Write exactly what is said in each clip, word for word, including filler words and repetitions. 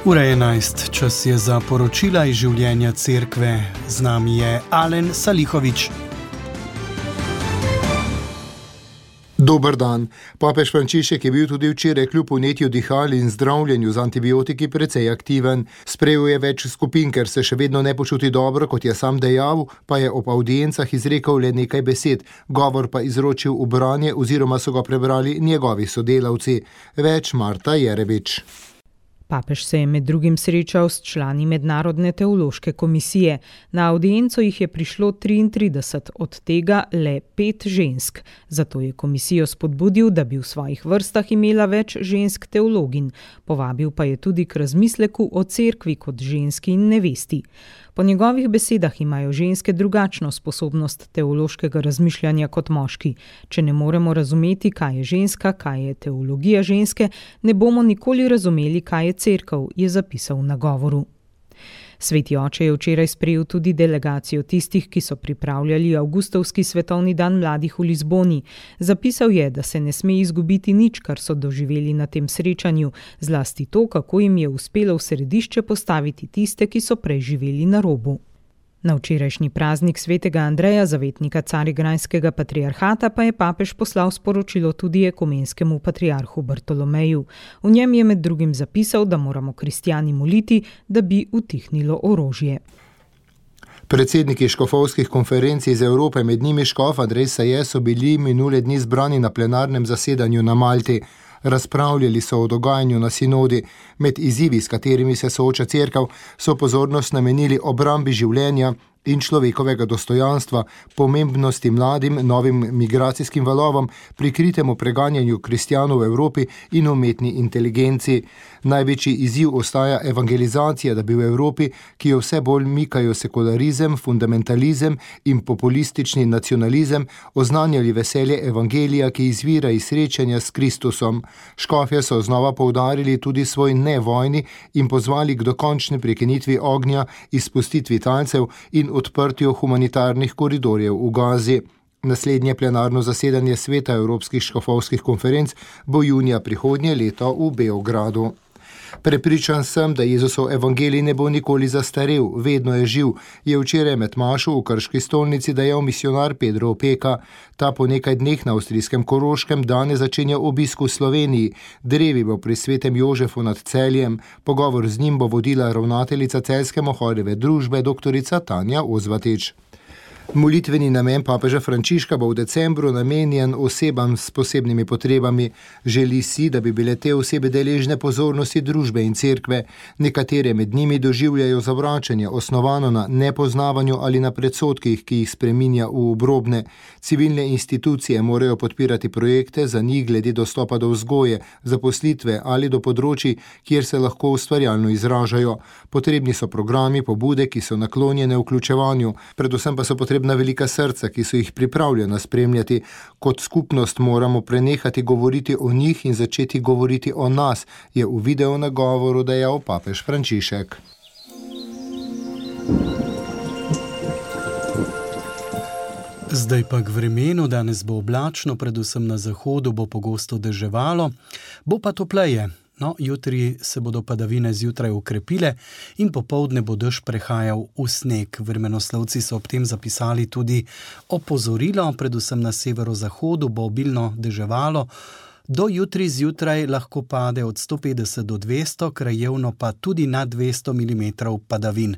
Ura je enajst, čas je za poročila iz življenja cerkve. Z nami je Alen Salihovič. Dober dan. Papež Frančišek je bil tudi včeraj kljub vnetju dihal in zdravljenju z antibiotiki precej aktiven. Sprejel je več skupin, ker se še vedno ne počuti dobro, kot je sam dejal, pa je ob avdiencah izrekel le nekaj besed, govor pa izročil v branje oziroma so ga prebrali njegovi sodelavci. Več Marta Jerebič. Papež se je med drugim srečal s člani Mednarodne teološke komisije. Na avdienco jih je prišlo triintrideset, od tega le pet žensk. Zato je komisijo spodbudil, da bi v svojih vrstah imela več žensk teologin. Povabil pa je tudi k razmisleku o cerkvi kot ženski in nevesti. Po njegovih besedah imajo ženske drugačno sposobnost teološkega razmišljanja kot moški. Če ne moremo razumeti, kaj je ženska, kaj je teologija ženske, ne bomo nikoli razumeli, kaj je cerkev, je zapisal na govoru. Sveti oče je včeraj sprejel tudi delegacijo tistih, ki so pripravljali avgustovski svetovni dan mladih v Lizboni. Zapisal je, da se ne sme izgubiti nič, kar so doživeli na tem srečanju, zlasti to, kako jim je uspelo v središče postaviti tiste, ki so prej živeli na robu. Na včerajšnji praznik svetega Andreja, zavetnika Carigrajskega patriarhata, pa je papež poslal sporočilo tudi ekumenskemu patriarhu Bartolomeju. V njem je med drugim zapisal, da moramo kristjani moliti, da bi utihnilo orožje. Predsedniki škofovskih konferenc iz Evrope, med njimi škof Andrej Saje, so bili minule dni zbrani na plenarnem zasedanju na Malti. Razpravljali so o dogajanju na sinodi. Med izzivi, s katerimi se sooča cerkev, so pozornost namenili obrambi življenja in človekovega dostojanstva, pomembnosti mladim, novim migracijskim valovom, prikritemu preganjanju kristjanov v Evropi in umetni inteligenci. Največji izziv ostaja evangelizacija, da bi v Evropi, ki jo vse bolj mikajo sekularizem, fundamentalizem in populistični nacionalizem, oznanjali veselje evangelija, ki izvira iz srečanja s Kristusom. Škofje so znova poudarili tudi svoj ne vojni in pozvali k dokončni prekinitvi ognja, izpustitvi talcev in odprtju humanitarnih koridorjev v Gazi. Naslednje plenarno zasedanje sveta Evropskih škofovskih konferenc bo junija prihodnje leto v Beogradu. Prepričan sem, da Jezusov evangelij ne bo nikoli zastarel, vedno je živ, je včeraj med mašo v Krški stolnici dejal misionar Pedro Opeka. Ta po nekaj dneh na avstrijskem Koroškem danes začenja obisk v Sloveniji. Drevi bo pri svetem Jožefu nad Celjem. Pogovor z njim bo vodila ravnateljica Celjske Mohorjeve družbe doktorica Tanja Ozvatič. Molitveni namen papeža Frančiška bo v decembru namenjen osebam s posebnimi potrebami. Želi si, da bi bile te osebe deležne pozornosti družbe in cerkve. Nekatere med njimi doživljajo zavračanje, osnovano na nepoznavanju ali na predsodkih, ki jih spreminja v obrobne. Civilne institucije morajo podpirati projekte za njih glede dostopa do vzgoje, zaposlitve ali do področij, kjer se lahko ustvarjalno izražajo. Potrebni so programi, pobude, ki so naklonjene vključevanju, predvsem pa so potrebni na velika srca, ki so jih pripravljena spremljati. Kot skupnost moramo prenehati govoriti o njih in začeti govoriti o nas, je v video nagovoru dejal papež Frančišek. Zdaj pa k vremenu. Danes bo oblačno, predvsem na zahodu bo pogosto deževalo, bo pa topleje. No, jutri se bodo padavine zjutraj ukrepile in popoldne bo dež prehajal v sneg. Vremenoslovci so ob tem zapisali tudi opozorilo, predvsem na severozahodu bo obilno deževalo. Do jutri zjutraj lahko pade od sto petdeset do dvesto, krajevno pa tudi na dvesto milimetrov padavin.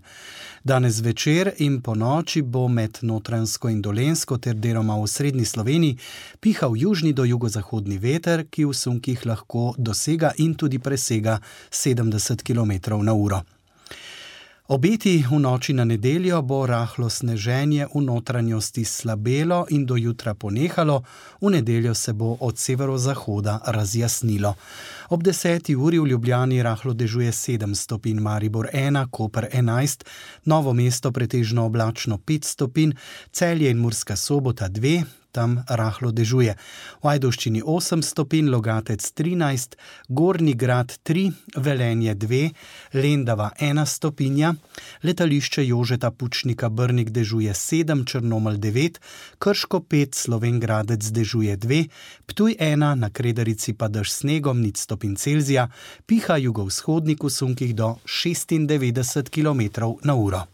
Danes večer in po noči bo med Notranjsko in Dolenjsko ter deloma v srednji Sloveniji pihal južni do jugozahodni veter, ki v sunkih lahko dosega in tudi presega sedemdeset kilometrov na uro. Obeti v noči na nedeljo bo rahlo sneženje v notranjosti slabelo in do jutra ponehalo, v nedeljo se bo od severozahoda razjasnilo. Ob deseti uri v Ljubljani rahlo dežuje sedem stopinj, Maribor ena, Koper enajst, Novo mesto pretežno oblačno pet stopinj, Celje in Murska Sobota dve, tam rahlo dežuje. V Ajdovščini osem stopinj, Logatec trinajst, Gornji Grad tri, Velenje dve, Lendava ena stopinja, letališče Jožeta Pučnika Brnik dežuje sedem, Črnomelj devet, Krško pet, Slovenj Gradec dežuje dve, Ptuj ena, na Kredarici pa dež snegom nič stopinj Celzija, piha jugovzhodnik v sunkih do šestindevetdeset kilometrov na uro.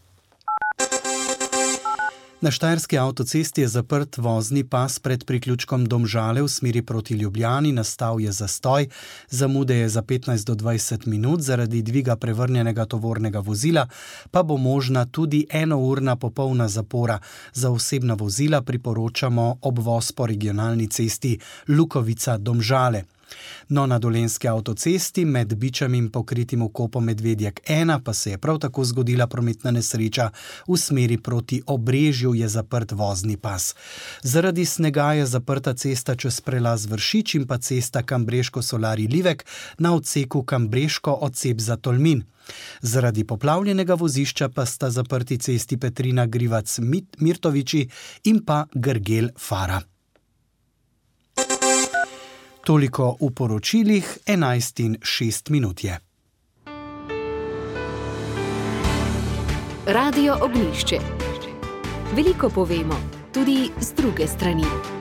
Na štajerski avtocesti je zaprt vozni pas pred priključkom Domžale v smeri proti Ljubljani, nastal je zastoj, zamude je za petnajst do dvajset minut, zaradi dviga prevrnjenega tovornega vozila pa bo možna tudi enourna popolna zapora. Za osebna vozila priporočamo obvoz po regionalni cesti Lukovica-Domžale. No, na Dolenjski avtocesti med Bičem in pokritim vkopom Medvedjek ena pa se je prav tako zgodila prometna nesreča. V smeri proti Obrežju je zaprt vozni pas. Zaradi snega je zaprta cesta čez prelaz Vršič in pa cesta Kambreško-Solari-Livek na odseku Kambreško-Odsep za Tolmin. Zaradi poplavljenega vozišča pa sta zaprti cesti Petrina-Grivac-Mirtoviči in pa Grgel-Fara. Toliko v poročilih, enajst in šest minut je. Radio Ognjišče. Veliko povemo, tudi z druge strani.